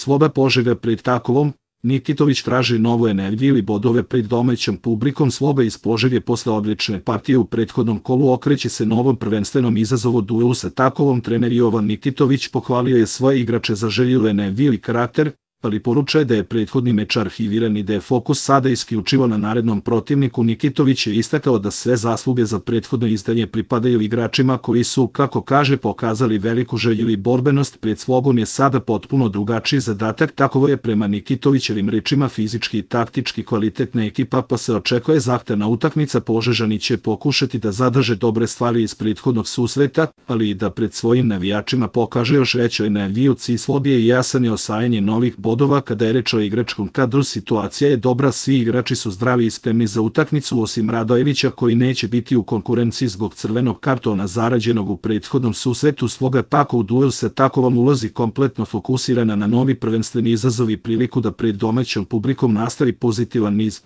Sloba Požega pred Takovom, Nikitović traži novu energiju i bodove pred domaćom publikom. Sloba iz Požege posle odlične partije u prethodnom kolu okreće se novom prvenstvenom izazovu duelu sa Takovom. Trener Jovan Nikitović pohvalio je svoje igrače za želju energiju i karakter, ali poručuje da je prethodni meč arhiviran i da je fokus sada isključivo na narednom protivniku. Nikitović je istakao da sve zasluge za prethodno izdanje pripadaju igračima koji su, kako kaže, pokazali veliku želju i borbenost. Pred Slobom je sada potpuno drugačiji zadatak. Takovo je prema Nikitovićevim rečima fizički i taktički kvalitetna ekipa, pa se očekuje zahtevna utakmica. Požežani će pokušati da zadrže dobre stvari iz prethodnog susreta, ali i da pred svojim navijačima pokaže još veću energiju. Cilj Slobe je jasan i osvajanje novih bodova. Kada je reč o igračkom kadru, situacija je dobra, svi igrači su zdravi i spremni za utakmicu, osim Radojevića koji neće biti u konkurenciji zbog crvenog kartona zarađenog u prethodnom susretu. Sloga pak u duel sa Takovom ulazi kompletno fokusirana na novi prvenstveni izazov i priliku da pred domaćom publikom nastavi pozitivan niz.